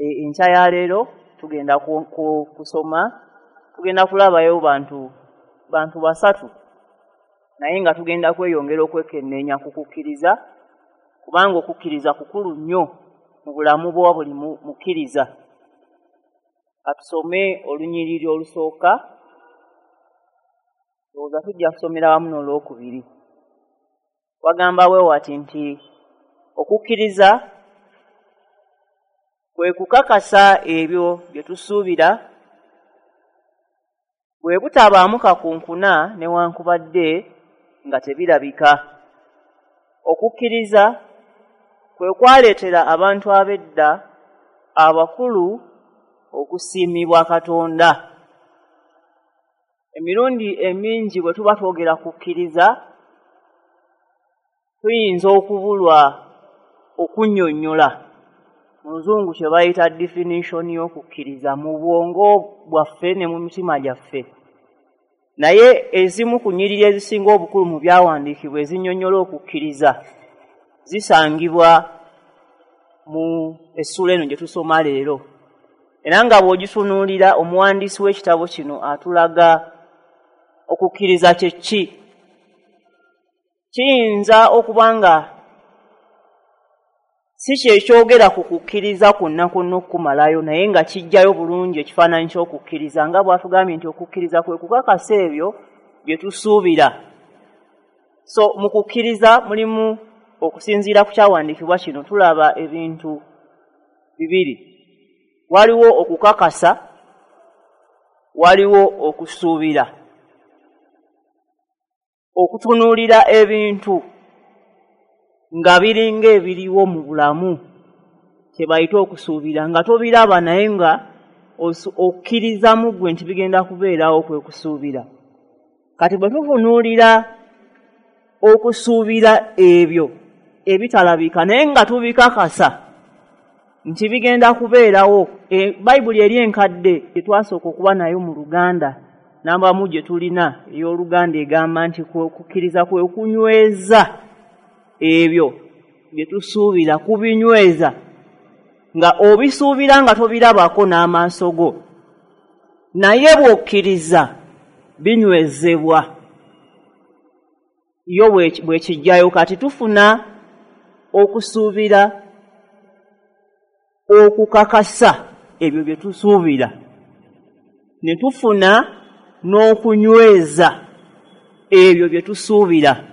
Enkya ya leero tugenda kusoma, tugenda kulabayo bantu basatu, naye nga tugenda kweyongera okwekenneenya ku kukkiriza, kubanga okukkiriza kukulu nnyo mu bulamu bwa buli mukkiriza. Atusome olunyiriri olusooka, ndowooza tujja kusomera wamu n'olwokubiri. Wagamba bwe wati nti okukkiriza kwe kukakasa ebyo bye tusuubira, bwe butabaamu kakunkuna newankubadde nga tebirabika. Okukkiriza kwe kwaleetera abantu ab'edda abakulu okusiimibwa Katonda. Emirundi emingi bwe tuba twogera kukkiriza, tuyinza okubulwa okunnyonnyola. Mu Luzungu kye bayita definition y'okukkiriza mu bwongo bwaffe ne mu mitima gyaffe. Naye ezimu ku nnyiriri ezisinga obukulu mu byawandiikibwa ezinnyonnyola okukkiriza zisangibwa mu essuula eno gye tusoma leero. Era nga bw'ogitunuulira, omuwandiisi w'ekitabo kino atulaga okukkiriza kye ki. Kiyinza okuba nga si kyekyogera ku kukkiriza kwonna kwonna okukumalayo, naye nga kijjayo bulungi ekifaananyi ky'okukkiriza, nga bw'atugambye nti okukkiriza kwe kukakasa ebyo bye tusuubira. So mu kukkiriza mulimu, okusinziira ku kyawandiikibwa kino, tulaba ebintu bibiri. Waliwo okukakasa, waliwo okusuubira. Okutunuulira ebintu nga biringa ebiriwo mu bulamu kye bayita okusuubira, nga tobiraba naye nga okkiriza mu ggwe nti bigenda kubeerawo, kwe kusuubira. Kati bwe tutunuulira okusuubira ebyo ebitalabika naye nga tubikakasa nti bigenda kubeerawo, Bayibuli eri enkadde gye twasooka okuba nayo mu Luganda, nambamu gye tulina ey'Oluganda, egamba nti okukkiriza kwe kunyweza ebyo bye tusuubira, kubinyweza nga obisuubira nga tobirabako n'amaaso go, naye bw'okkiriza binywezebwa. Yo bwe kijjayo. Kati tufuna okusuubira okukakasa ebyo bye tusuubira, ne tufuna n'okunyweza ebyo bye tusuubira.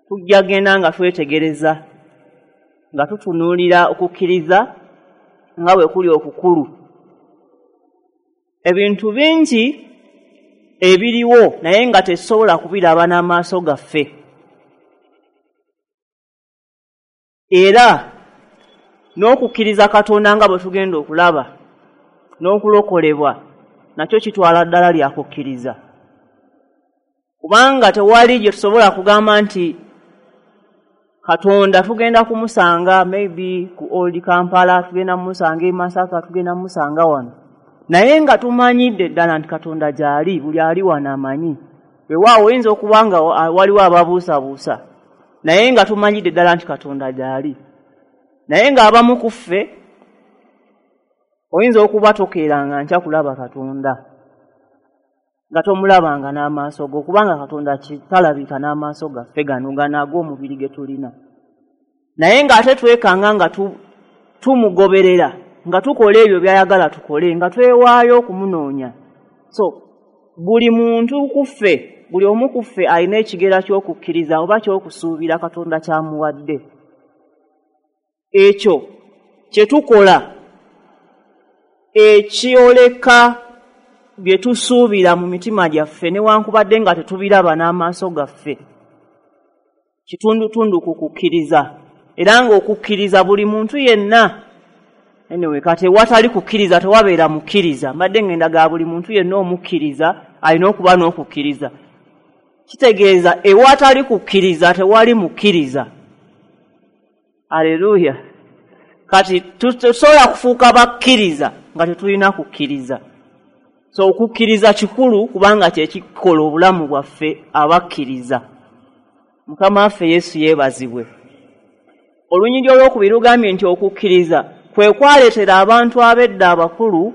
Tujja genda nga twetegereza, nga tutunuulira okukkiriza nga bwe kuli okukulu. Ebintu bingi ebiriwo naye nga tetusobola kubiraba n'amaaso gaffe, era n'okukkiriza Katonda nga bwe tugenda okulaba n'okulokolebwa nakyo kitwala ddala lya kukkiriza, kubanga tewali gye tusobola kugamba nti Katonda tugenda kumusanga maybe ku Old Kampala, tugenda kumusanga e Masaka, tugenda kumusanga wano, naye nga tumanyidde ddala nti Katonda gy'ali. Buli ali wano amanyi. Weewaawo oyinza okuba nga waliwo ababuusabuusa, naye nga tumanyidde ddala nti Katonda gy'ali. Naye ng'abamu ku ffe oyinza okuba tokeeranga nkya kulaba Katonda, nga tomulabanga n'amaaso go, kubanga Katonda talabika n'amaaso gaffe gano gano ag'omubiri ge tulina. Naye ng'ate twekanga nga tumugoberera, nga tukola ebyo by'ayagala tukole, nga twewaayo okumunoonya. So buli muntu ku ffe, buli omu ku ffe alina ekigera ky'okukkiriza oba ky'okusuubira Katonda ky'amuwadde. Ekyo kye tukola ekyoleka bye tusuubira mu mitima gyaffe newankubadde nga tetubiraba n'amaaso gaffe, kitundutundu ku kukkiriza. Era ng'okukkiriza buli muntu yenna, anyway, kati ewatali kukkiriza tewabeera mukkiriza. Mbadde ngenda ga buli muntu yenna omukkiriza alina okuba n'okukkiriza. Kitegeeza ewatali kukkiriza tewali mukkiriza. Aleluya. Kati tusobola kufuuka bakkiriza nga tetulina kukkiriza. So okukkiriza kikulu kubanga kye kikola obulamu bwaffe abakkiriza. Mukama waffe Yesu yeebazibwe. Olunyiriri olwokubiri lugambye nti okukkiriza kwe kwaleetera abantu ab'edda abakulu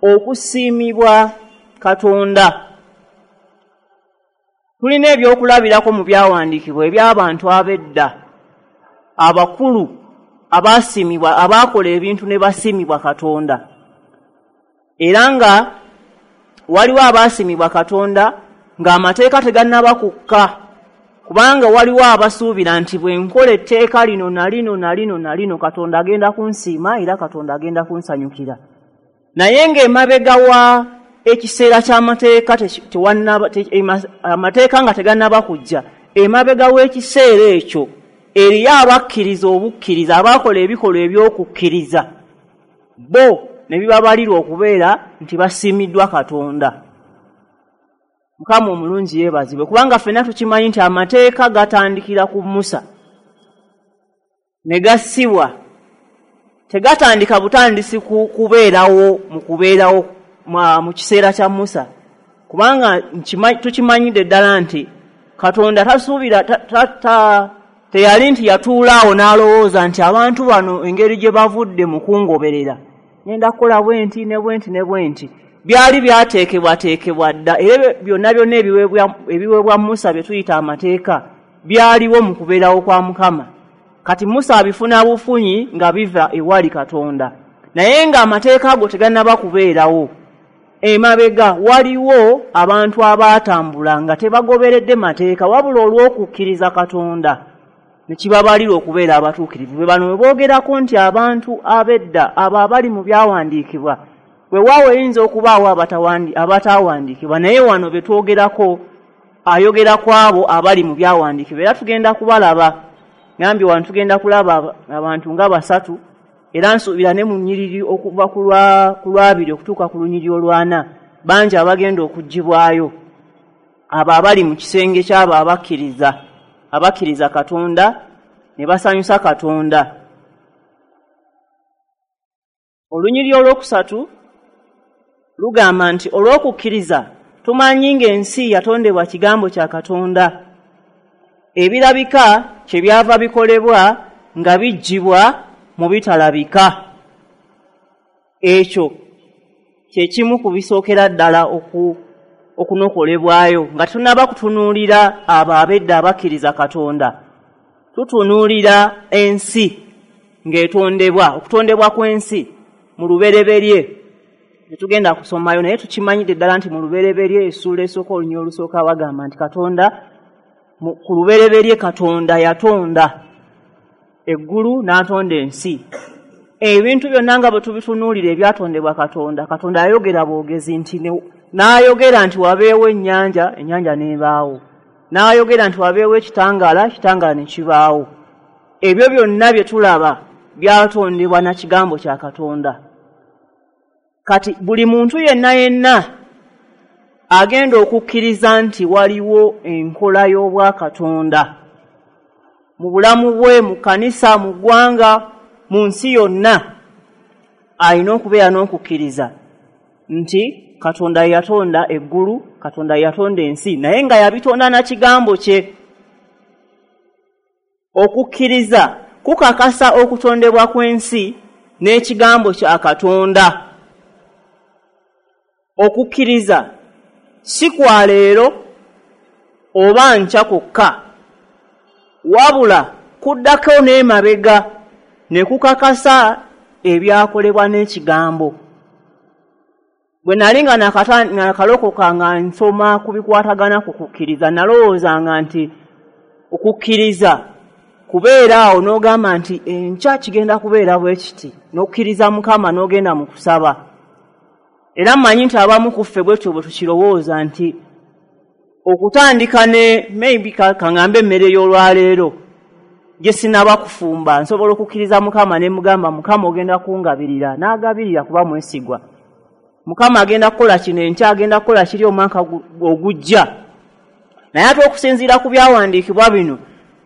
okusiimibwa Katonda. Tulina ebyokulabirako mu byawandiikibwa eby'abantu ab'edda abakulu abaasiimibwa, abaakola ebintu ne basiimibwa Katonda. Era nga waliwo abaasiimibwa Katonda ng'amateeka tegannaba kukka, kubanga waliwo abasuubira nti bwe nkola etteeka lino na lino na lino na lino Katonda agenda kunsiima era Katonda agenda kunsanyukira. Naye ng'emabega wa ekiseera ky'amateeka amateeka nga tegannaba kujja, emabega w'ekiseera ekyo eriyo abakkiriza obukkiriza, abaakola ebikolwa eby'okukkiriza, bo ne bibabalirwa okubeera nti basiimiddwa Katonda. Mukama omulungi yeebazibwe, kubanga ffenna tukimanyi nti amateeka gatandikira ku Musa ne gassibwa, tegatandika butandisi kubeerawo mu kubeerawo mu kiseera kya Musa, kubanga tukimanyidde ddala nti Katonda tasuubira teyali nti yatuula awo n'alowooza nti abantu bano engeri gye bavudde mu kungoberera ngenda kukola bwe nti ne bwe nti ne bwe nti. Byali byateekebwateekebwa dda, era byonna byonna ebiweebwa Musa bye tuyita amateeka byaliwo mu kubeerawo kwa Mukama. Kati Musa abifuna bufunyi nga biva ewali Katonda, naye ng'amateeka ago tegannaba kubeerawo. Emabega waliwo abantu abaatambula nga tebagoberedde mateeka, wabula olw'okukkiriza Katonda ne kibabalirwa okubeera abatuukirivu. Be bano bwe boogerako nti abantu ab'edda abo abali mu byawandiikibwa, weewaawo eyinza okubaawo abataawandiikibwa, naye wano be twogerako ayogera ku abo abali mu byawandiikibwa. Era tugenda kubalaba, ngambye wano tugenda kulaba abantu nga basatu, era nsuubira ne mu nnyiriri okuva ku lwabiri okutuuka ku lunyiriri olwana bangi abagenda okuggyibwayo, abo abali mu kisenge ky'abo abakkiriza Katonda ne basanyusa Katonda. Olunyiriri olwokusatu lugamba nti olw'okukkiriza tumanyi ng'ensi yatondebwa kigambo kya Katonda, ebirabika kye byava bikolebwa nga biggyibwa mu bitalabika. Ekyo kye kimu ku bisookera ddala okunokolebwayo nga tunnaba kutunuulira abo ab'edda abakkiriza Katonda. Tutunuulira ensi ng'etondebwa, okutondebwa kw'ensi mu lubereberye. Tetugenda kusomayo, naye tukimanyidde ddala nti mu lubereberye essuula esooka olunyiriri olusooka bagamba nti Katonda ku lubereberye Katonda yatonda eggulu n'atonda ensi. Ebintu byonna nga bwe tubitunuulira ebyatondebwa Katonda, Katonda yayogera bwogezi nti n'ayogera nti wabeewo ennyanja, ennyanja n'ebaawo. N'ayogera nti wabeewo ekitangaala, ekitangaala ne kibaawo. Ebyo byonna bye tulaba byatondebwa na kigambo kya Katonda. Kati buli muntu yenna yenna agenda okukkiriza nti waliwo enkola y'obwakatonda mu bulamu bwe, mu kkanisa, mu ggwanga, mu nsi yonna, alina okubeera n'okukkiriza nti Katonda yatonda eggulu, Katonda yatonda ensi, naye nga yabitonda na kigambo kye. Okukkiriza kukakasa okutondebwa kw'ensi n'ekigambo kya Katonda. Okukkiriza si kwa leero oba nkya kwokka, wabula kuddako n'emabega ne kukakasa ebyakolebwa n'ekigambo. Bwe nali nga nakalokoka nga nsoma ku bikwatagana ku kukkiriza, nalowoozanga nti okukkiriza kubeera awo n'ogamba nti enkya kigenda kubeera bwe kiti, n'okkiriza Mukama n'ogenda mu kusaba. Era mmanyi nti abamu ku ffe bwetyo bwe tukirowooza nti okutandika ne maybe kaŋŋambe emmere y'olwaleero gye sinaba kufumba, nsobola okukkiriza Mukama ne mugamba Mukama ogenda kungabirira, n'agabirira kuba mwesigwa. Mukama agenda kukola kino enkya, agenda kukola kiri omwaka ogujja. Naye ate okusinziira ku byawandiikibwa bino,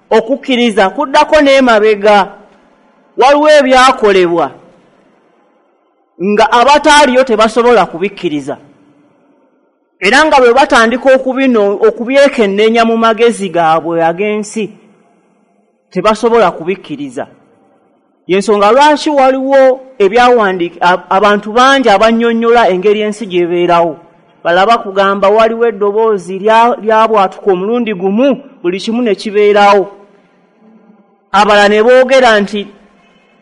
okukkiriza kuddako n'emabega. Waliwo ebyakolebwa nga abataaliyo tebasobola kubikkiriza, era nga bwe batandika okubyekenneenya mu magezi gaabwe ag'ensi tebasobola kubikkiriza. Yensonga lwaki waliwo ebyawandiika abantu bangi abannyonnyola engeri ensi gy'ebeerawo. Balaba kugamba waliwo eddoboozi lyabwatuka omulundi gumu buli kimu ne kibeerawo. Abalala ne boogera nti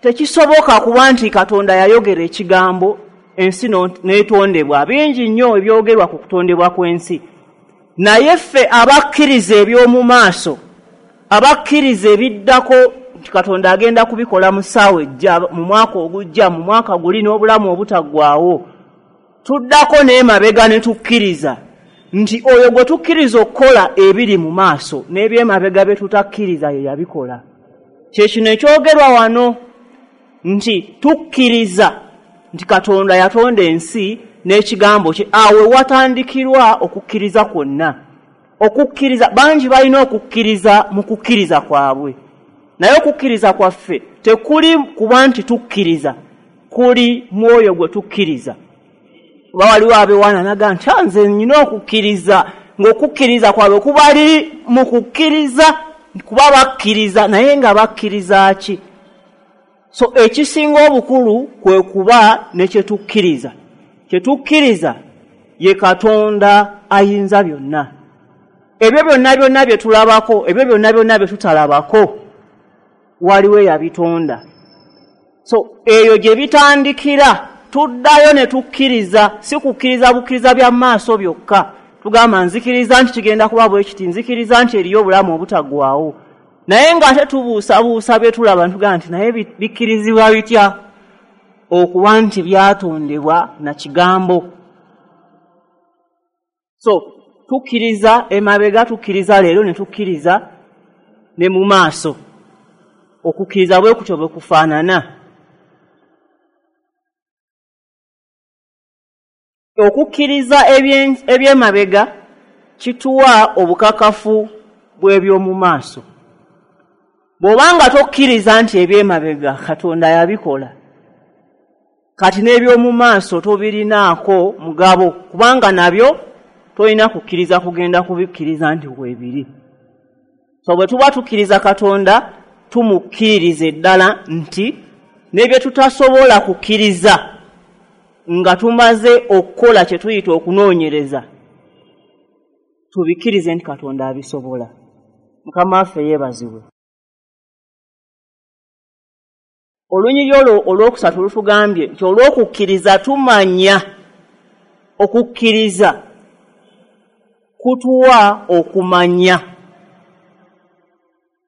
tekisoboka kuba nti Katonda yayogera ekigambo ensi n'etondebwa. Bingi nnyo ebyogerwa ku kutondebwa kw'ensi. Naye ffe abakkiriza eby'omu maaso, abakkiriza ebiddako nti Katonda agenda kubikola mu ssaawa ejja, mu mwaka ogujja, mu mwaka guli n'obulamu obutaggwaawo, tuddako n'emabega ne tukkiriza nti oyo gwe tukkiriza okukola ebiri mu maaso n'ebyemabega bye tutakkiriza ye yabikola. Kye kino ekyogerwa wano nti tukkiriza nti Katonda yatonda ensi n'ekigambo kye. Awo watandikirwa okukkiriza kwonna. Okukkiriza, bangi balina okukkiriza mu kukkiriza kwabwe, naye okukkiriza kwaffe tekuli kuba nti tukkiriza, kuli mwoyo gwe tukkiriza. Oba waliwo abewaana naga nti nze nnina okukkiriza, ng'okukkiriza kwabwe kubali mu kukkiriza kuba bakkiriza, naye nga bakkiriza ki? So ekisinga obukulu kwe kuba ne kye tukkiriza. Kye tukkiriza ye Katonda ayinza byonna. Ebyo byonna byonna bye tulabako, ebyo byonna byonna bye tutalabako, waliwo eyabitonda. So eyo gye bitandikira, tuddayo ne tukkiriza, si kukkiriza bukkiriza bya maaso byokka. Tugamba nzikiriza nti kigenda kuba bwe kiti, nzikiriza nti eriyo obulamu obutaggwaawo. Naye ng'ate tubuusabuusa bye tulaba, ntugamba nti naye bikkirizibwa bitya okuba nti byatondebwa na kigambo. So tukkiriza emabega, tukkiriza leero, ne tukkiriza ne mu maaso. Okukkiriza bwe kutyo bwe kufaanana. Okukkiriza ebyemabega kituwa obukakafu bw'eby'omu maaso. Bw'obanga tokkiriza nti ebyemabega Katonda yabikola, kati n'eby'omu maaso tobirinaako mugabo, kubanga nabyo tolina kukkiriza kugenda kubikkiriza nti weebiri. So bwe tuba tukkiriza Katonda, tumukkiririza eddala nti ne bye tutasobola kukkiriza nga tumaze okukola kye tuyita okunoonyereza, tubikkirize nti Katonda abisobola. Mukama waffe yeebazibwe. Olunyiriri olwo olwokusatu lutugambye nti olw'okukkiriza tumanya. Okukkiriza kutuwa okumanya.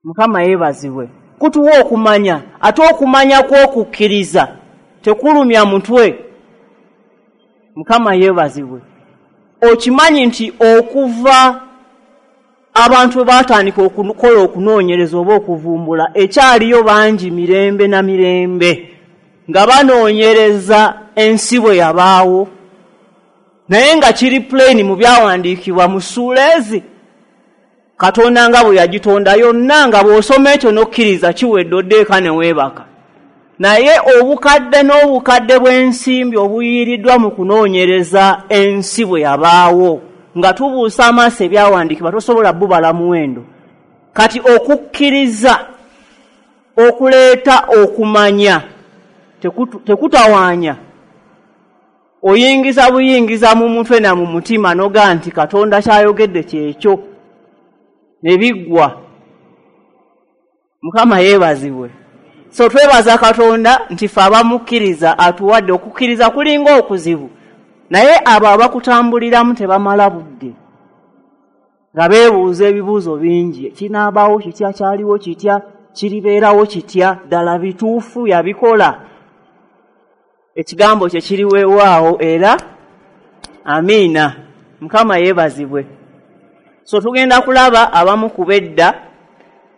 Mukama yeebazibwe. Kutuwa okumanya, ate okumanya kw'okukkiriza tekulumya mutwe. Mukama yeebazibwe. Okimanyi nti okuva abantu bwe baatandika okukola okunoonyereza oba okuvumbula, ekyaliyo bangi mirembe na mirembe nga banoonyereza ensi bwe yabaawo, naye nga kiri plain mu byawandiikibwa mu ssuula ezi Katonda nga bwe yagitonda yonna, nga bw'osoma ekyo n'okkiriza kiwedde oddeeka ne weebaka. Naye obukadde n'obukadde bw'ensimbi obuyiiriddwa mu kunoonyereza ensi bwe yabaawo, nga tubuusa amaaso ebyawandiikibwa, tosobola bubala muwendo. Kati okukkiriza okuleeta okumanya tekutawaanya. Oyingiza buyingiza mu mutwe na mu mutima n'ogaa nti Katonda ky'ayogedde kyekyo, ne biggwa. Mukama yeebazibwe. So twebaza Katonda nti ffe abamukkiriza atuwadde okukkiriza kulinga okuzibu, naye abo abakutambuliramu tebamala budde nga beebuuza ebibuuzo bingi. Kinaabaawo kitya? Kyaliwo kitya? Kiribeerawo kitya? Ddala bituufu yabikola? Ekigambo kye kiri weewaawo era amiina. Mukama yeebazibwe. So tugenda kulaba abamu ku bedda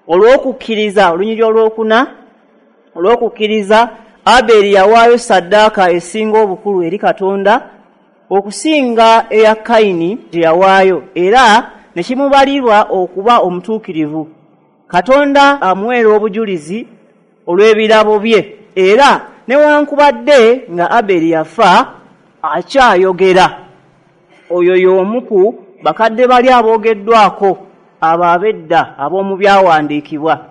olw'okukkiriza. Olunyiriri olwokuna, olw'okukkiriza Aberi yawaayo ssaddaaka esinga obukulu eri Katonda okusinga eya Kayini gye yawaayo, era ne kimubalirwa okuba omutuukirivu. Katonda amuweera obujulizi olw'ebirabo bye, era newankubadde nga Aberi yafa akyayogera. Oyo y'omu ku bakadde bali aboogeddwako abo ab'edda ab'omu byawandiikibwa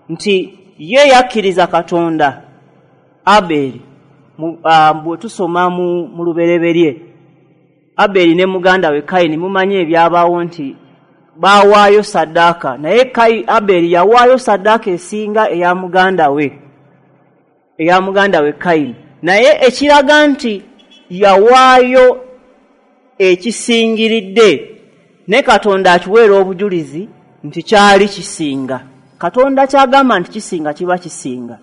nti ye yakkiriza Katonda Abeli, bwe tusoma mu Lubereberye, Abeli ne muganda we Kayini, mumanyi ebyabaawo nti baawaayo saddaaka, naye Abeli yawaayo saddaaka esinga eya muganda we Kayini. Naye ekiraga nti yawaayo ekisingiridde, ne Katonda akiweera obujulizi nti kyali kisinga. Katonda kyagamba nti kisinga kiba kisinga,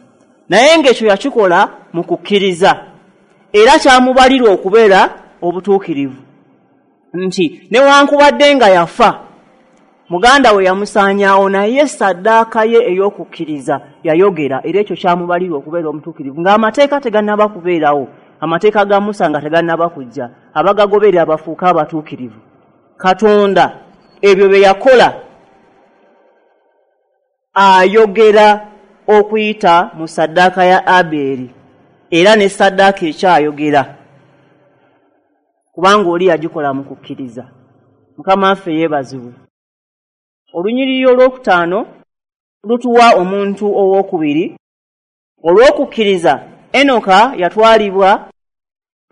naye ng'ekyo yakikola mu kukkiriza, era kyamubalirwa okubeera obutuukirivu, nti newankubadde nga yafa muganda we yamusaanyaawo, naye saddaaka ye ey'okukkiriza yayogera, era ekyo kyamubalirwa okubeera omutuukirivu, ng'amateeka tegannaba kubeerawo, amateeka ga Musa nga tegannaba kujja, abagagoberera bafuuke abatuukirivu. Katonda ebyo bye yakola ayogera okuyita mu saddaaka ya Abeli, era ne saddaaka ekyayogera, kubanga oli yagikola mu kukkiriza. Mukama waffe yeebazibwe. Olunyiriri olwokutaano lutuwa omuntu owokubiri. Olw'okukkiriza Enoka yatwalibwa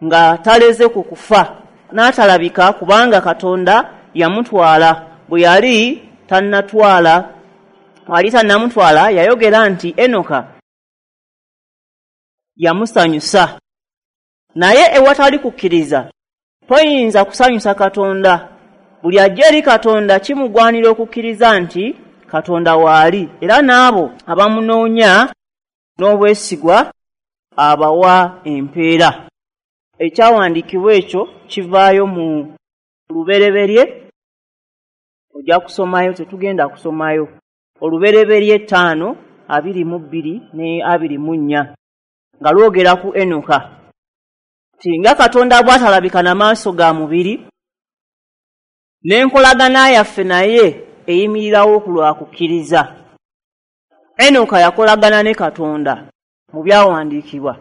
nga taleze ku kufa, n'atalabika kubanga Katonda yamutwala. Bwe yali tannamutwala, yayogera nti Enoka yamusanyusa. Naye ewatali kukkiriza toyinza kusanyusa Katonda. Buli ajja eri Katonda kimugwanira okukkiriza nti Katonda waali, era n'abo abamunoonya n'obwesigwa abawa empeera. Ekyawandiikibwa ekyo kivaayo mu Lubereberye, ojja kusomayo, tetugenda kusomayo. Olubereberye 5:22 ne 24 nga lwogera ku Enoka, nti nga Katonda bw'atalabika na maaso ga mubiri, n'enkolagana yaffe naye eyimirirawo ku lwa kukkiriza. Enoka yakolagana ne Katonda mu byawandiikibwa,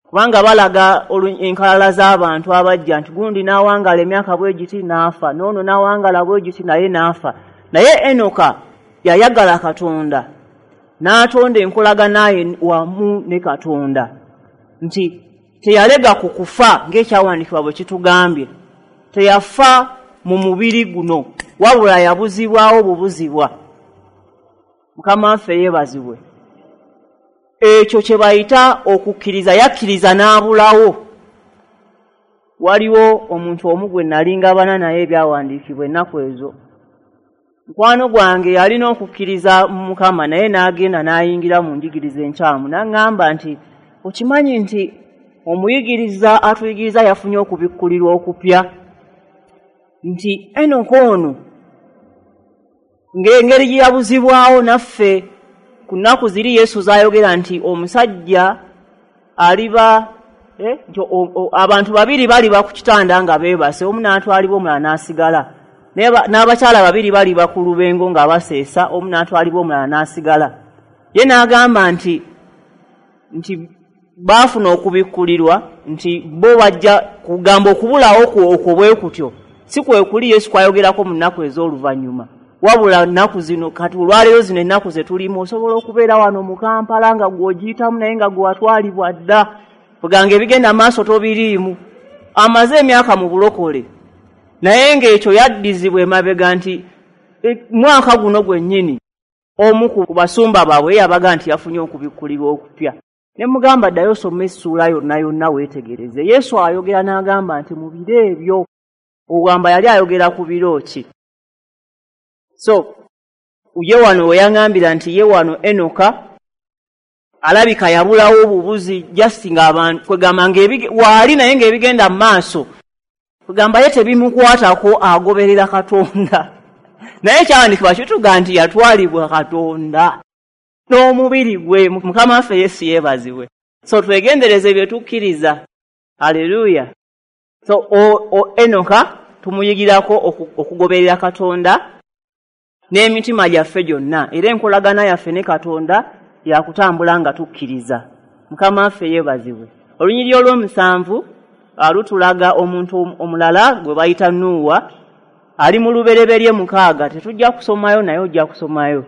kubanga balaga enkalala z'abantu abajja nti gundi n'awangala emyaka bwe giti n'afa, n'ono n'awangala bwe giti naye n'afa. Naye Enoka yayagala Katonda, n'atonda enkolagana ye wamu ne Katonda, nti teyalega ku kufa ng'ekyawandiikibwa bwe kitugambye. Teyafa mu mubiri guno, wabula yabuzibwawo bubuzibwa. Mukama waffe yeebazibwe. Ekyo kye bayita okukkiriza, yakkiriza n'abulawo. Waliwo omuntu omu gwe nali ngabana naye ebyawandiikibwa ennaku ezo. Mukwano gwange yalina okukkiriza mu Mukama, naye n'agenda n'ayingira mu njigiriza enkyamu, n'aŋŋamba nti okimanyi nti omuyigiriza atuyigiriza yafunye okubikkulirwa okupya, nti Enoka ono ng'engeri gye yabuzibwawo naffe ku nnaku ziri Yesu z'ayogera nti omusajja aliba nti abantu babiri baliba ku kitanda nga beebase, omu n'atwalibwa omulala n'asigala, n'abakyala babiri baliba ku lubengo nga baseesa, omu n'atwalibwa omulala n'asigala. Ye n'agamba nti baafuna okubikkulirwa nti bo bajja kugamba okubulawo okwo bwe kutyo si kwe kuli Yesu kwayogerako mu nnaku ez'oluvannyuma, wabula nnaku zino kati olwaleero zino ennaku ze tulimu osobola okubeera wano mu Kampala nga gw'ogiyitamu naye nga gwe watwalibwa dda, kuganga ebigenda maaso tobiriimu. Amaze emyaka mu bulokole, naye ng'ekyo yaddizibwa emabega nti mwaka guno gwennyini omu ku basumba baabwe yabaga nti yafunye okubikkulirwa okupya. Ne mugamba ddayo osome essuula yonna yonna weetegereze. Yesu ayogera n'agamba nti mu biro ebyo, ogamba yali ayogera ku biro ki? So ye wano we yaŋŋambira nti ye wano Enoka alabika yabulawo obubuzi, just ng'abantu kwegamba waali naye ng'ebigenda mu maaso kwegamba ye tebimukwatako, agoberera Katonda. Naye ekyawandiikibwa kituga nti yatwalibwa Katonda n'omubiri gwe. Mukama waffe Yesu yeebazibwe. So twegendereze bye tukkiriza. Aleluya. So Enoka tumuyigirako okugoberera Katonda n'emitima gyaffe gyonna, era enkolagana yaffe ne Katonda yakutambula nga tukkiriza. Mukama waffe yeebazibwe. Olunyiriri olw'omusanvu lutulaga omuntu omulala gwe bayita Nuuwa, ali mu Lubereberye 6. Tetujja kusomayo naye ojja kusomayo.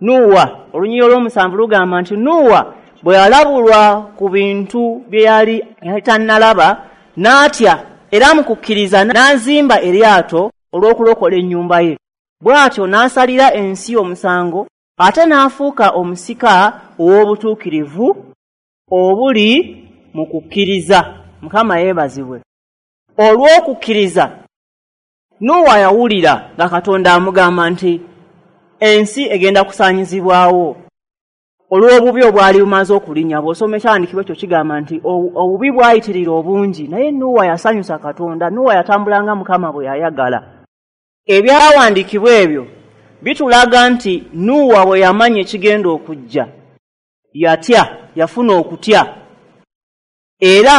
Nuuwa, olunyiriri olw'omusanvu lugamba nti Nuuwa bwe yalabulwa ku bintu bye yali tannalaba n'atya, era mu kukkiriza n'azimba eryato olw'okulokola ennyumba ye. Bw'atyo n'asalira ensi omusango, ate n'afuuka omusika ow'obutuukirivu obuli mu kukkiriza. Mukama yeebazibwe. Olw'okukkiriza Nuuwa yawulira nga Katonda amugamba nti ensi egenda kusaanyizibwawo olw'obubi obwali bumaze okulinnya. Bw'osoma ekyawandiikibwa ekyo kigamba nti obubi bwayitirira obungi, naye Nuuwa yasanyusa Katonda. Nuuwa yatambula nga Mukama bwe yayagala. Ebyawandiikibwa ebyo bitulaga nti Nuuwa bwe yamanya ekigenda okujja yatya, yafuna okutya, era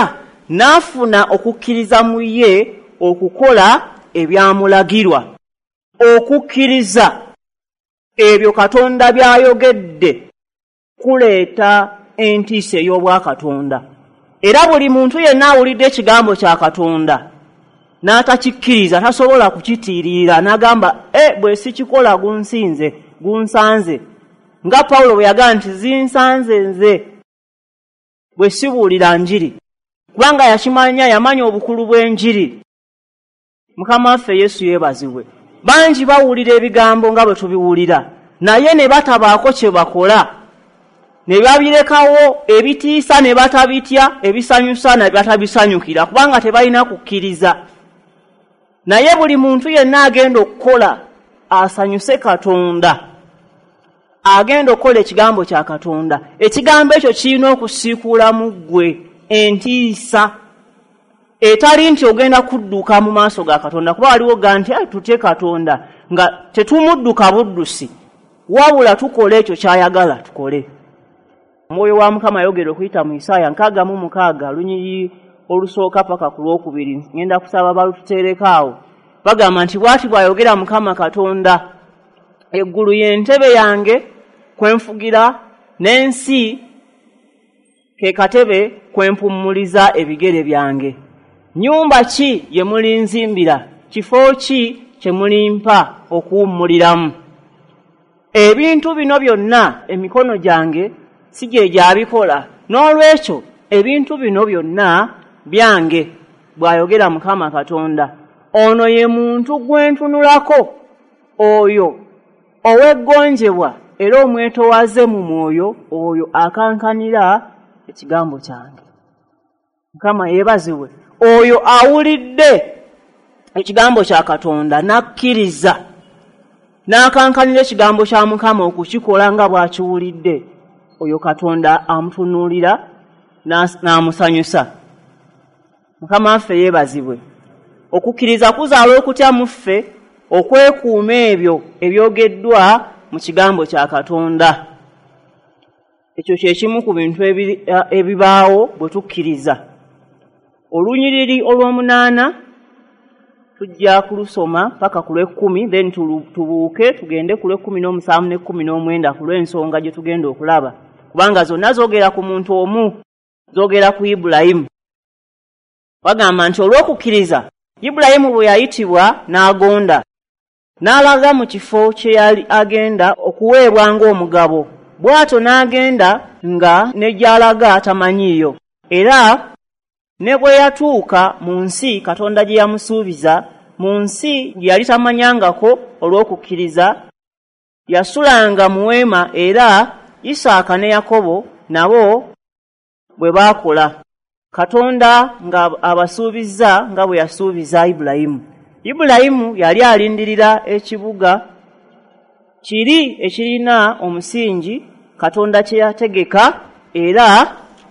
n'afuna okukkiriza mu ye okukola ebyamulagirwa. Okukkiriza ebyo Katonda by'ayogedde kuleeta entiisa ey'obwakatonda. Era buli muntu yenna awulidde ekigambo kya Katonda n'atakikkiriza tasobola kukitiirira, n'agamba bwe sikikola gunsinze, gunsanze. Nga Pawulo bwe yagamba nti zinsanze nze bwe sibuulira njiri, kubanga yakimanya, yamanya obukulu bw'enjiri. Mukama waffe Yesu yeebazibwe. Bangi bawulira ebigambo nga bwe tubiwulira, naye ne batabaako kye bakola, ne babirekawo, ebitiisa ne batabitya, ebisanyusa ne batabisanyukira, kubanga tebalina kukkiriza. Naye buli muntu yenna agenda okukola asanyuse Katonda, agenda okukola ekigambo kya Katonda, ekigambo ekyo kirina okusiikuula mu ggwe entiisa etali nti ogenda kudduka mu maaso ga Katonda, kuba waliwo ga nti tutye Katonda nga tetumudduka buddusi, wabula tukola ekyo ky'ayagala tukole. Omwoyo wa Mukama ayogera okuyita mu Isaaya 66 lunyiriri olusooka paka ku lwokubiri, ngenda kusaba balututeereko awo. Bagamba nti bw'ati bw'ayogera Mukama Katonda, eggulu y'entebe yange kwe nfugira, n'ensi ke katebe kwe mpummuliza ebigere byange. Nnyumba ki gye mulinzimbira? Kifo ki kye mulimpa okuwummuliramu? Ebintu bino byonna emikono gyange si gye gyabikola, n'olwekyo ebintu bino byonna byange, bw'ayogera Mukama Katonda. Ono ye muntu gwe ntunulako, oyo ow'eggonjebwa era omwetowaze mu mwoyo, oyo akankanira ekigambo kyange. Mukama yeebazibwe. Oyo awulidde ekigambo kya Katonda n'akkiriza, n'akankanira ekigambo kya Mukama okukikola nga bw'akiwulidde, oyo Katonda amutunuulira n'amusanyusa. Mukama waffe yeebazibwe. Okukkiriza kuzaala okutya mu ffe okwekuuma ebyo ebyogeddwa mu kigambo kya Katonda. Ekyo kye kimu ku bintu ebibaawo bwe tukkiriza. Olunyiriri olw'omunaana tujja kulusoma paka ku lw'ekkumi, then tubuuke tugende ku lw'ekkumi n'omusanvu n'ekkumi n'omwenda ku lw'ensonga gye tugenda okulaba, kubanga zonna zoogera ku muntu omu, zoogera ku Ibulayimu. Bagamba nti olw'okukkiriza Ibulayimu bwe yayitibwa n'agonda, n'alaga mu kifo kye yali agenda okuweebwa ng'omugabo, bw'atyo n'agenda nga ne gy'alaga tamanyiiyo. Era ne bwe yatuuka mu nsi Katonda gye yamusuubiza, mu nsi gye yali tamanyangako, olw'okukkiriza yasulanga mu weema, era Isaaka ne Yakobo nabo bwe baakola, Katonda nga abasuubizza nga bwe yasuubiza Ibulayimu. Ibulayimu yali alindirira ekibuga kiri ekirina omusingi Katonda kye yategeka era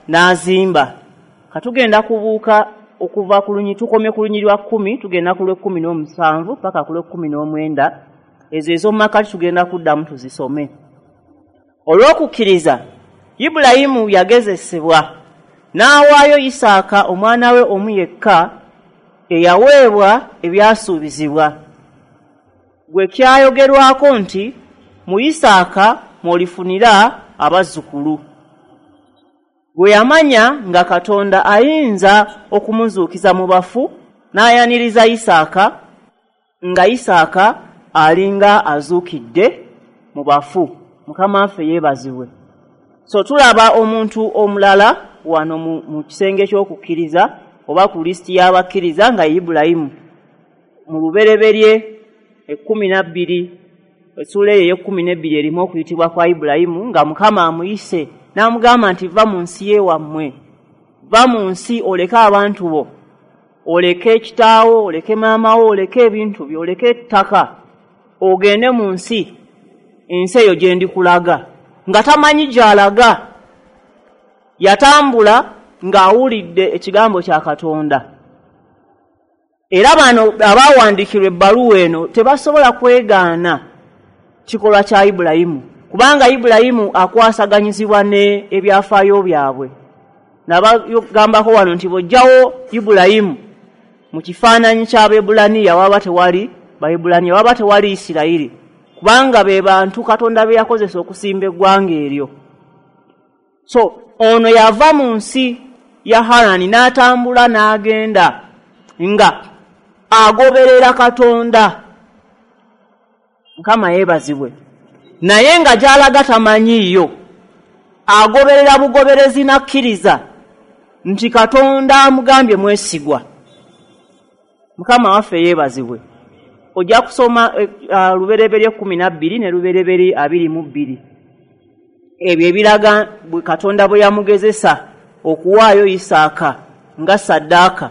n'azimba. Katugenda kubuuka okuva ku lunyi, tukome ku lunyi lwa 10, tugenda ku lw'ekkumi n'omusanvu paka ku lw'ekkumi n'omwenda. Ezo ez'omu makati tugenda kuddamu tuzisome. Olw'okukkiriza Ibulayimu yagezesebwa n'awaayo Isaaka omwana we omu yekka eyaweebwa ebyasuubizibwa, gwe kyayogerwako nti mu Isaaka mw'olifunira abazzukulu. Gwe yamanya nga Katonda ayinza okumuzuukiza mu bafu, n'ayaniriza Isaaka nga Isaaka alinga azuukidde mu bafu. Mukama waffe yeebazibwe. So tulaba omuntu omulala wano mu kisenge ky'okukkiriza oba ku lisiti y'abakkiriza nga Ibulayimu. Mu Lubereberye 12, essuula eyo ey'e12 erimu okuyitibwa kwa Ibulayimu nga Mukama amuyise n'amugamba nti va mu nsi y'ewammwe, va mu nsi oleke abantu bo, oleke kitaawo, oleke maama wo, oleke ebintu byo, oleke ettaka, ogende mu nsi, ensi eyo gye ndikulaga. Nga tamanyi gy'alaga, yatambula ng'awulidde ekigambo kya Katonda. Era bano abawandiikirwa ebbaluwa eno tebasobola kwegaana kikolwa kya Ibulayimu, kubanga Ibulayimu akwasaganyizibwa ne ebyafaayo byabwe. Nabagambako wano nti bw'ojjawo Ibulayimu mu kifaananyi ky'Abaebulaniya waba tewali Baebulaniya, waba tewali Isirayiri, kubanga be bantu Katonda be yakozesa okusimba eggwanga eryo. So ono yava mu nsi ya Harani n'atambula n'agenda nga agoberera Katonda. Mukama yeebazibwe. Naye nga gy'alaga tamanyiiyo, agoberera bugoberezi n'akkiriza nti Katonda amugambye mwesigwa. Mukama waffe yeebazibwe. Ojja kusoma Lubereberye 12 ne Lubereberye 22. Ebyo ebiraga bwe Katonda bwe yamugezesa okuwaayo Isaaka nga ssaddaaka.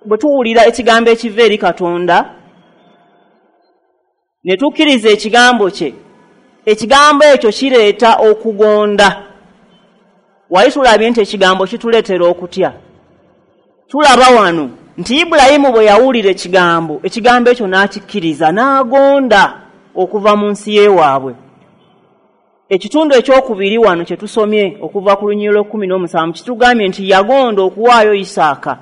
Bwe tuwulira ekigambo ekiva eri Katonda ne tukkiriza ekigambo kye, ekigambo ekyo kireeta okugonda. Wali tulabye nti ekigambo kituleetera okutya. Tulaba wano nti Ibulayimu bwe yawulira ekigambo, ekigambo ekyo n'akikkiriza n'agonda okuva mu nsi y'ewaabwe. Ekitundu ekyokubiri wano kye tusomye okuva ku lunyiriri lw'e17 kitugambye nti yagonda okuwaayo Isaaka,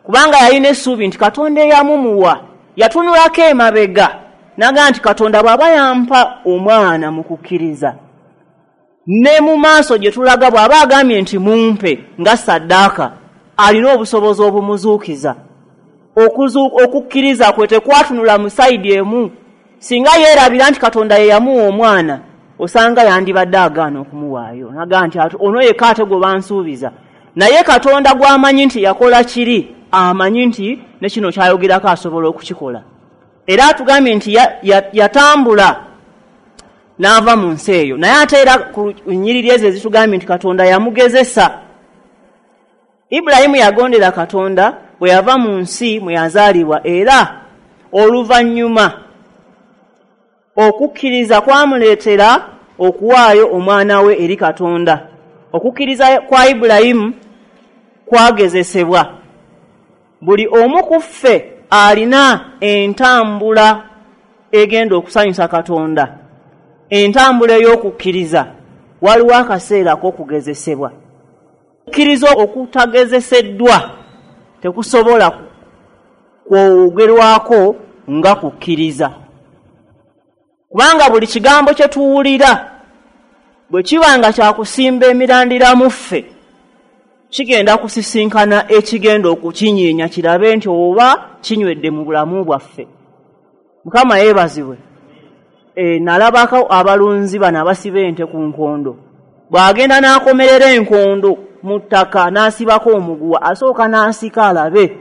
kubanga yalina essuubi nti Katonda eyamumuwa. Yatunulako emabega n'agamba nti Katonda bw'aba yampa omwana mu kukkiriza, ne mu maaso gye tulaga bw'aba agambye nti mumpe nga ssaddaaka, alina obusobozi obumuzuukiza. Okukkiriza kwe tekwatunula mu sayidi emu. Singa yeerabira nti Katonda ye yamuwa omwana, osanga yandibadde agaana okumuwaayo, n'agamba nti ono yekka ate gwe bansuubiza. Naye Katonda gw'amanyi nti yakola kiri, amanyi nti ne kino ky'ayogerako asobola okukikola. Era atugambye nti yatambula n'ava mu nsi eyo. Naye ate era ku nnyiriri ezo ezitugambye nti Katonda yamugezesa. Ibulayimu yagondera Katonda bwe yava mu nsi mwe yazaalibwa, era oluvannyuma okukkiriza kwamuleetera okuwaayo omwana we eri Katonda. Okukkiriza kwa Ibulayimu kwagezesebwa. Buli omu ku ffe alina entambula egenda okusanyusa Katonda, entambula ey'okukkiriza. Waliwo akaseera ak'okugezesebwa. Okukkiriza okutagezeseddwa tekusobola kwogerwako nga kukkiriza, kubanga buli kigambo kye tuwulira bwe kiba nga kyakusimba emirandira mu ffe, kigenda kusisinkana ekigenda okukinyeenya kirabe nti oba kinywedde mu bulamu bwaffe. Mukama yeebazibwe. Nalabako abalunzi bano abasiba ente ku nkondo. Bw'agenda n'akomerera enkondo mu ttaka n'asibako omuguwa, asooka n'asika alabe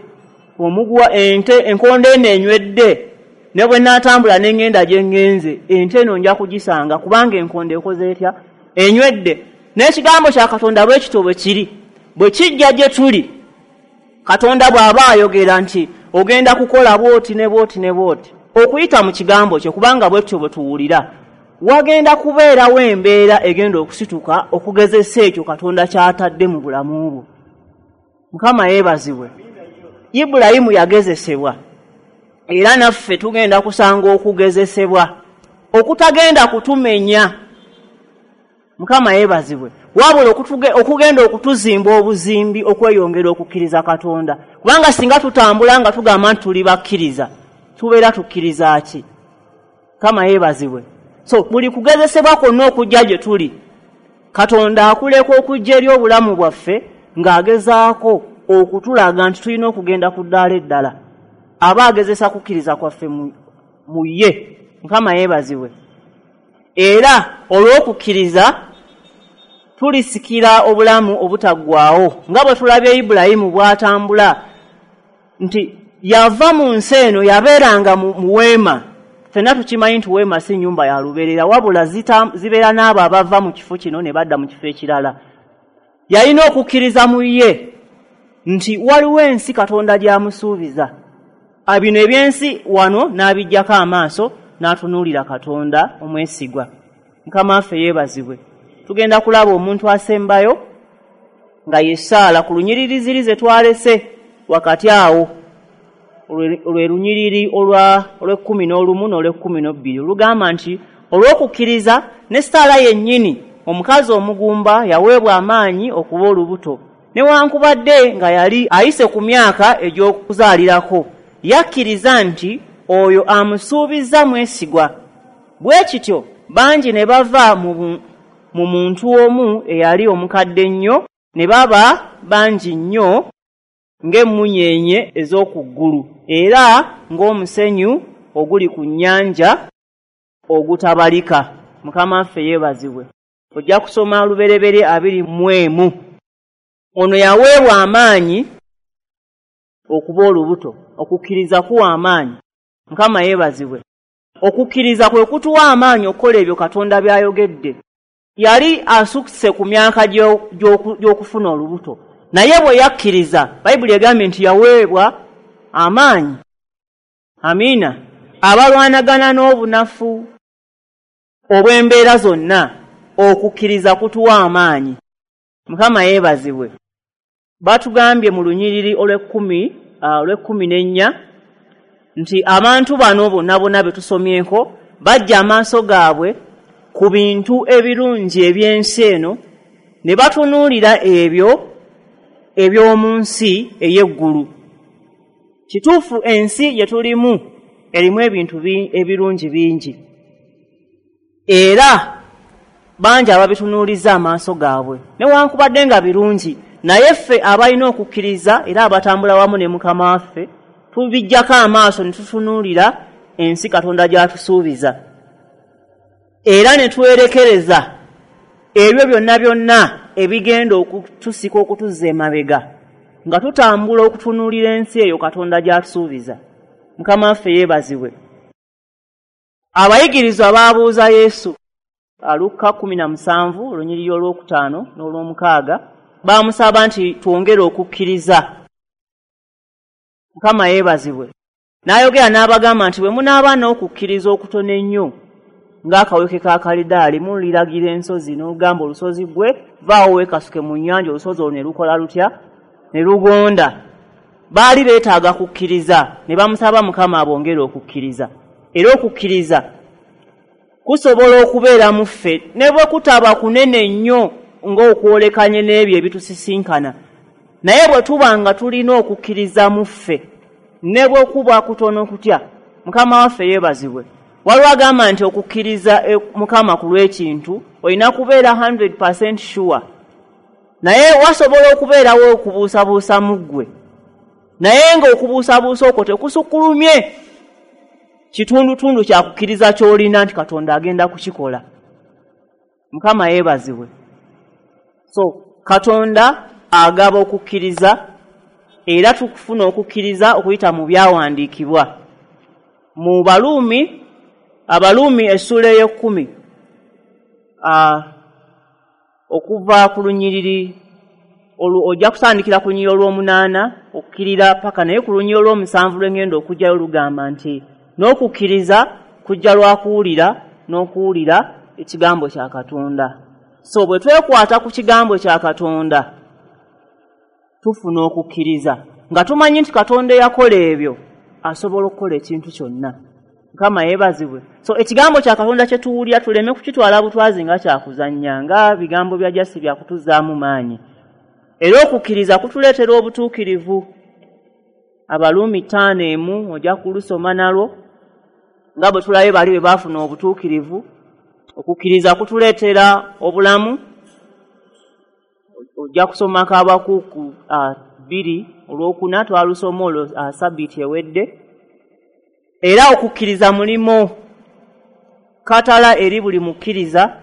omuguwa ente enkondo eno enywedde, ne bwe naatambula ne ŋŋenda gye ŋŋenze ente eno nja kugisanga, kubanga enkondo ekoze etya? Enywedde. N'ekigambo kya Katonda bwe kityo bwe kiri. Bwe kijja gye tuli, Katonda bw'aba ayogera nti ogenda kukola bw'oti ne bw'oti ne bw'oti, okuyita mu kigambo kye, kubanga bwe tutyo bwe tuwulira, wagenda kubeerawo embeera egenda okusituka okugezesa ekyo Katonda ky'atadde mu bulamu bwo. Mukama yeebazibwe. Ibulayimu yagezesebwa, era naffe tugenda kusanga okugezesebwa okutagenda kutumenya. Mukama yeebazibwe. Wabula okugenda okutuzimba obuzimbi okweyongera okukkiriza Katonda, kubanga singa tutambula nga tugamba nti tuli bakkiriza, tubeera tukkiriza ki? Mukama yeebazibwe. So buli kugezesebwa kwonna okujja gye tuli, Katonda akuleka okujja eri obulamu bwaffe ng'agezaako okutulaga nti tulina okugenda ku ddaala eddala. Aba agezesa kukkiriza kwaffe mu ye. Mukama yeebazibwe. Era olw'okukkiriza tulisikira obulamu obutaggwaawo. Nga bwe tulabye Ibulayimu bw'atambula nti yava mu nsi eno, yabeeranga mu weema. Ffenna tukimanyi nti weema si nnyumba ya lubeerera, wabula zibeera n'abo abava mu kifo kino ne badda mu kifo ekirala. Yalina okukkiriza mu ye nti waliwo ensi Katonda gy'amusuubiza. Bino ebyensi wano n'abiggyako amaaso n'atunuulira Katonda omwesigwa. Mukama waffe yeebazibwe. Tugenda kulaba omuntu asembayo nga ye Saala ku lunyiriri ziri ze twalese wakati awo, olwe lunyiriri olw'ekkumi n'olumu n'olw'ekkumi n'obbiri, olugamba nti olw'okukkiriza ne Saala yennyini omukazi omugumba yaweebwa amaanyi okuba olubuto, newankubadde nga yali ayise ku myaka egy'okuzaalirako, yakkiriza nti oyo amusuubizza mwesigwa. Bwe kityo bangi ne bava mu muntu omu eyali omukadde ennyo, ne baba bangi nnyo ng'emmunyeenye ez'oku ggulu, era ng'omusenyu oguli ku nnyanja ogutabalika. Mukama waffe yeebazibwe. Ojja kusoma Lubereberye 21. Ono yaweebwa amaanyi okuba olubuto. Okukkiriza kuwa amaanyi. Mukama yeebazibwe. Okukkiriza kwe kutuwa amaanyi okukola ebyo Katonda by'ayogedde. Yali asusse ku myaka gy'okufuna olubuto, naye bwe yakkiriza, Bayibuli egambye nti yaweebwa amaanyi. Amiina. Abalwanagana n'obunafu obw'embeera zonna, okukkiriza kutuwa amaanyi. Mukama yeebazibwe. Batugambye mu lunyiriri olw'ekkumi n'ennya nti abantu bano bonna bonna be tusomyeko bajja amaaso gaabwe ku bintu ebirungi eby'ensi eno, ne batunuulira ebyo eby'omu nsi ey'eggulu. Kituufu, ensi gye tulimu erimu ebintu ebirungi bingi, era bangi ababitunuuliza amaaso gaabwe, newankubadde nga birungi, naye ffe abalina okukkiriza era abatambula wamu ne Mukama waffe tubiggyako amaaso ne tutunuulira ensi Katonda gy'atusuubiza, era ne twerekereza ebyo byonna byonna ebigenda okutusika okutuzza emabega, nga tutambula okutunuulira ensi eyo Katonda gy'atusuubiza. Mukama waffe yeebazibwe. Abayigirizwa baabuuza Yesu, Lukka 17 olunyiriri olwokutaano n'olwomukaaga, baamusaba nti twongere okukkiriza. Mukama yeebazibwe. N'ayogera n'abagamba nti bwe munaaba n'okukkiriza okutono ennyo ng'akaweke ka kalidaali, muliragira ensozi n'olugamba olusozi gwe vaawo weekasuke mu nnyanja, olusozi olwo ne lukola lutya? Ne lugonda. Baali beetaaga kukkiriza, ne bamusaba Mukama abongere okukkiriza. Era okukkiriza kusobola okubeera mu ffe ne bwe kutaba kunene nnyo ng'okwolekanye n'ebyo ebitusisinkana, naye bwe tuba nga tulina okukkiriza mu ffe ne bwe kuba kutono kutya. Mukama waffe yeebazibwe. Waliwo agamba nti okukkiriza Mukama ku lw'ekintu olina kubeera 100% sure, naye wasobola okubeerawo okubuusabuusa mu ggwe, naye ng'okubuusabuusa okwo tekusukkulumye kitundutundu kyakukkiriza ky'olina nti Katonda agenda kukikola. Mukama yeebazibwe. So Katonda agaba okukkiriza, era tukufuna okukkiriza okuyita mu byawandiikibwa. Mu Baluumi, Abaluumi essuula ey'ekkumi, okuva ku lunyiriri ojja kutandikira ku lunyiriri olw'omunaana okukkirira paka, naye ku lunyiriri olw'omusanvu lw'engenda okujjayo lugamba nti n'okukkiriza kujja lwa kuwulira, n'okuwulira ekigambo kya Katonda. So bwe twekwata ku kigambo kya Katonda tufuna okukkiriza, nga tumanyi nti Katonda eyakola ebyo asobola okukola ekintu kyonna. Mukama yeebazibwe. So ekigambo kya Katonda kye tuwulira tuleme kukitwala butwazi nga kyakuzannya, nga bigambo bya jasi byakutuzaamu maanyi. Era okukkiriza kutuleetera obutuukirivu. Abaluumi 5:1 ojja kulusoma nalwo, nga bwe tulabye bali bwe baafuna obutuukirivu. Okukkiriza kutuleetera obulamu. Ojja kusomako Abakuuku 2 olwokuna, twalusoma olwo sabbiiti ewedde. Era okukkiriza mulimo katala eri buli mukkiriza.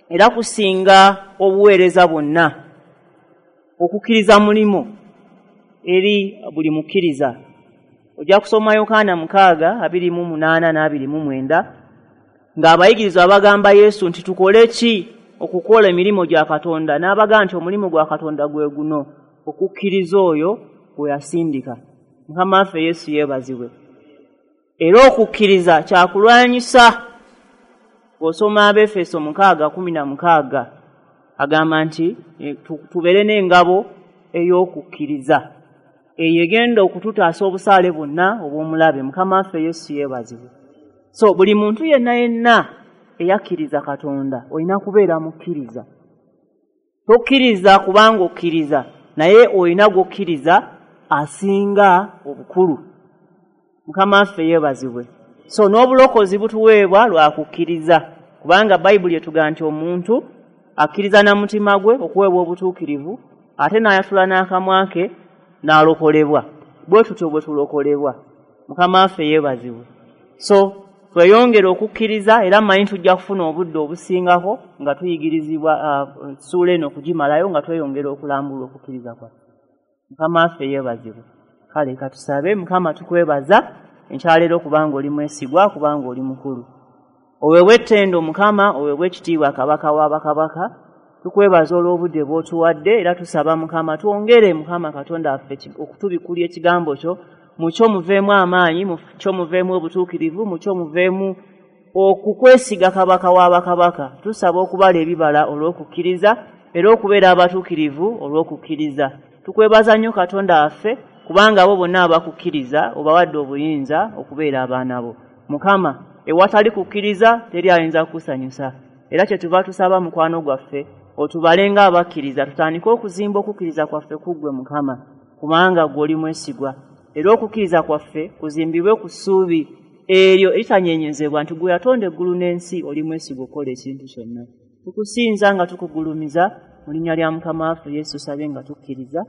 era kusinga obuweereza bwonna. Okukkiriza mulimu eri buli mukkiriza. Ojja kusoma Yokaana 6:28 na 29, ng'abayigirizwa bagamba Yesu nti tukole ki okukola emirimu gya Katonda, n'abagamba nti omulimu gwa Katonda gwe guno, okukkiriza oyo gwe yasindika. Mukama waffe Yesu yeebazibwe. Era okukkiriza kyakulwanyisa. Bw'osoma Abeefeso 6:16, agamba nti tubeere n'engabo ey'okukkiriza eyo egenda okututaasa obusaale bwonna obw'omulabe. Mukama waffe Yesu yeebazibwe. So buli muntu yenna yenna eyakkiriza Katonda olina kubeera mukkiriza. Tokkiriza kubanga okkiriza, naye olina gw'okkiriza asinga obukulu. Mukama waffe yeebazibwe. So n'obulokozi butuweebwa lwa kukkiriza, kubanga Bayibuli etugamba nti omuntu akkiriza na mutima gwe okuweebwa obutuukirivu, ate n'ayatula n'akamwa ke n'alokolebwa. Bwe tutyo bwe tulokolebwa. Mukama waffe yeebazibwe. So tweyongere okukkiriza, era mmanyi tujja kufuna obudde obusingako nga tuyigirizibwa ssuula eno okugimalayo, nga tweyongera okulambula okukkiriza kwaffe. Mukama waffe yeebazibwe. Kale katusabe. Mukama, tukwebaza enkyaleero kubanga oli mwesigwa, kubanga oli mukulu. Oweebwa ettendo Mukama, oweebwa ekitiibwa Kabaka w'abakabaka. Tukwebaza olw'obudde bw'otuwadde, era tusaba Mukama twongere, Mukama Katonda waffe, okutubikulya ekigambo kyo. Mu kyo muveemu amaanyi, mu kyo muveemu obutuukirivu, mu kyo muveemu okukwesiga Kabaka w'abakabaka. Tusaba okubala ebibala olw'okukkiriza, era okubeera abatuukirivu olw'okukkiriza. Tukwebaza nnyo Katonda waffe, kubanga abo bonna abakukkiriza obawadde obuyinza okubeera abaana bo. Mukama, ewatali kukkiriza teri ayinza kukusanyusa, era kyetuva tusaba mukwano gwaffe otubale ng'abakkiriza, tutandike okuzimba okukkiriza kwaffe ku ggwe Mukama, kubanga ggwe oli mwesigwa. Era okukkiriza kwaffe kuzimbibwe ku ssuubi eryo eritanyenyezebwa nti ggwe yatonda eggulu n'ensi, oli mwesigwa okukola ekintu kyonna. Tukusinza nga tukugulumiza mu linnya lya Mukama waffe Yesu, sabye nga tukkiriza.